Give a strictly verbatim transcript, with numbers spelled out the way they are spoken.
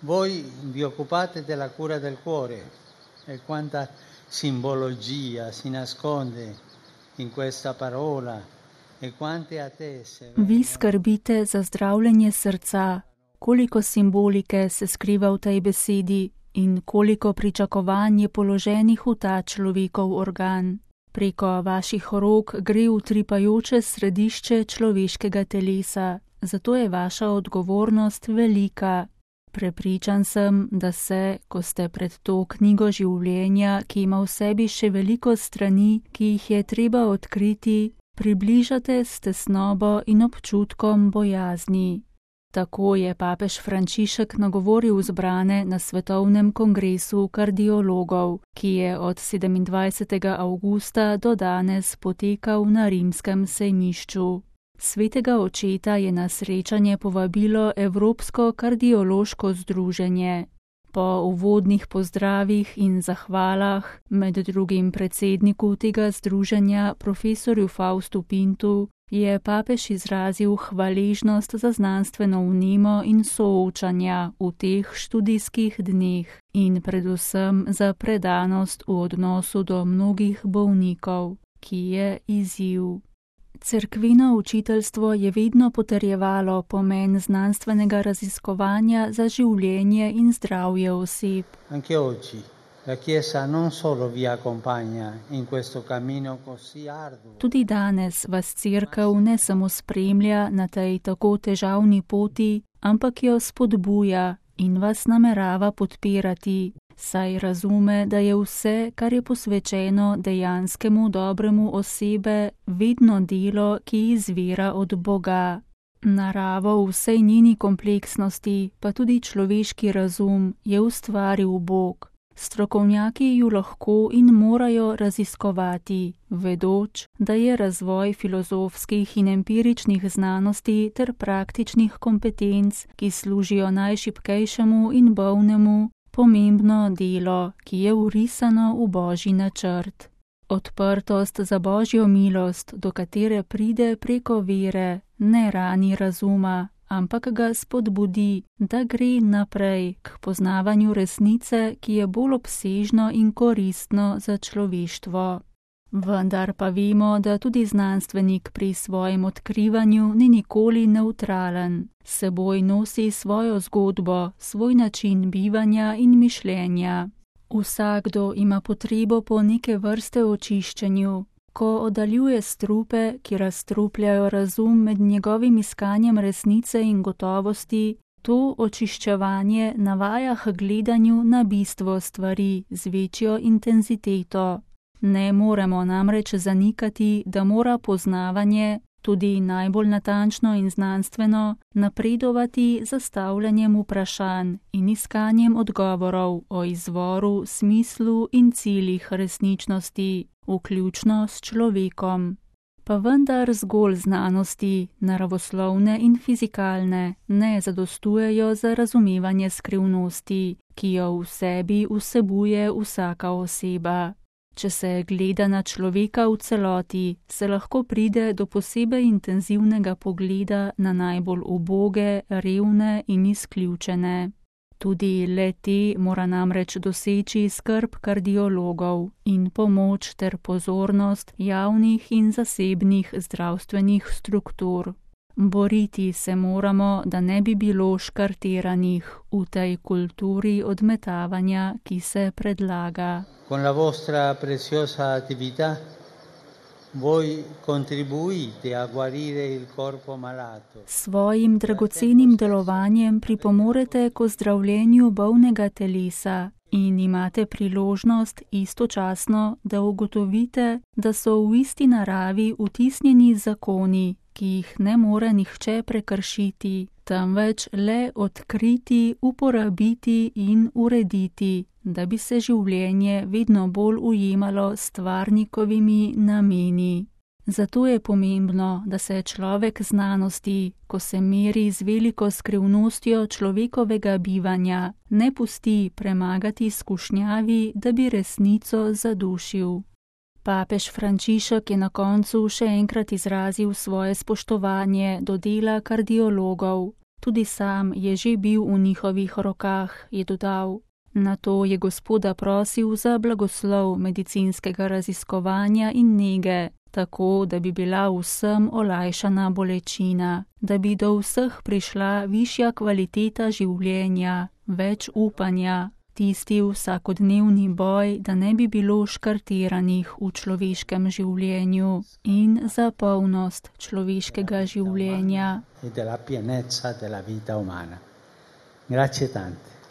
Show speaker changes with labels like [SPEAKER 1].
[SPEAKER 1] Voi vi occupate della cura del cuore e quanta simbologia si nasconde in questa parola e quante attese.
[SPEAKER 2] Vi skrbite za zdravljenje srca, koliko simbolike se skriva v tej besedi in koliko pričakovanj je položenih v ta človekov organ. Preko vaših rok gre utripajoče središče človeškega telesa, zato je vaša odgovornost velika. Prepričan sem, da se, ko ste pred to knjigo življenja, ki ima v sebi še veliko strani, ki jih je treba odkriti, približate s tesnobo in občutkom bojazni. Tako je papež Frančišek nagovoril zbrane na svetovnem kongresu kardiologov, ki je od sedemindvajsetega avgusta do danes potekal na rimskem sejmišču. Svetega očeta je na srečanje povabilo Evropsko kardiološko združenje. Po uvodnih pozdravih in zahvalah, med drugim predsedniku tega združenja, profesorju Faustu Pintu, je papež izrazil hvaležnost za znanstveno vnemo in soočanja v teh študijskih dneh in predvsem za predanost v odnosu do mnogih bolnikov, ki je izziv. Cerkveno učiteljstvo je vedno potrjevalo pomen znanstvenega raziskovanja za življenje in zdravje oseb.
[SPEAKER 1] Anche oggi la Chiesa non solo vi accompagna in questo cammino così arduo.
[SPEAKER 2] Tudi danes vas cerkev ne samo spremlja na tej tako težavni poti, ampak jo spodbuja in vas namerava podpirati, saj razume, da je vse, kar je posvečeno dejanskemu dobremu osebe, vedno delo, ki izvira od Boga. Naravo v vsej njeni kompleksnosti, pa tudi človeški razum, je ustvaril Bog. Strokovnjaki ju lahko in morajo raziskovati, vedoč, da je razvoj filozofskih in empiričnih znanosti ter praktičnih kompetenc, ki služijo najšibkejšemu in bolnemu, pomembno delo, ki je vrisano v Božji načrt. Odprtost za Božjo milost, do katere pride preko vere, ne rani razuma, ampak ga spodbudi, da gre naprej k poznavanju resnice, ki je bolj obsežno in koristno za človeštvo. Vendar pa vemo, da tudi znanstvenik pri svojem odkrivanju ni nikoli nevtralen. S seboj nosi svojo zgodbo, svoj način bivanja in mišljenja. Vsakdo ima potrebo po neke vrste očiščenju. Ko oddaljuje strupe, ki razstrupljajo razum med njegovim iskanjem resnice in gotovosti, to očiščevanje navaja k gledanju na bistvo stvari z večjo intenziteto. Ne moremo namreč zanikati, da mora poznavanje, tudi najbolj natančno in znanstveno, napredovati z zastavljanjem vprašanj in iskanjem odgovorov o izvoru, smislu in ciljih resničnosti, vključno s človekom. Pa vendar zgolj znanosti, naravoslovne in fizikalne, ne zadostujejo za razumevanje skrivnosti, ki jo v sebi vsebuje vsaka oseba. Če se gleda na človeka v celoti, se lahko pride do posebej intenzivnega pogleda na najbolj uboge, revne in izključene. Tudi le-te mora namreč doseči skrb kardiologov in pomoč ter pozornost javnih in zasebnih zdravstvenih struktur. Boriti se moramo, da ne bi bilo škarteranih v tej kulturi odmetavanja, ki se predlaga.
[SPEAKER 1] Con la vostra preziosa attività voi contribuite a guarire il corpo malato.
[SPEAKER 2] Svojim dragocenim delovanjem pripomorete k ozdravljenju bolnega telesa in imate priložnost istočasno, da ugotovite, da so v isti naravi vtisnjeni zakoni, ki jih ne more nihče prekršiti, temveč le odkriti, uporabiti in urediti, da bi se življenje vedno bolj ujemalo s stvarnikovimi nameni. Zato je pomembno, da se človek znanosti, ko se meri z veliko skrivnostjo človekovega bivanja, ne pusti premagati skušnjavi, da bi resnico zadušil. Papež Frančišek je na koncu še enkrat izrazil svoje spoštovanje do dela kardiologov. Tudi sam je že bil v njihovih rokah, je dodal. Nato je Gospoda prosil za blagoslov medicinskega raziskovanja in nege, tako da bi bila vsem olajšana bolečina, da bi do vseh prišla višja kvaliteta življenja, več upanja, tisti vsakodnevni boj, da ne bi bilo škartiranih v človeškem življenju in za polnost človeškega življenja.
[SPEAKER 1] E della pienezza della vita umana. Grazie tante.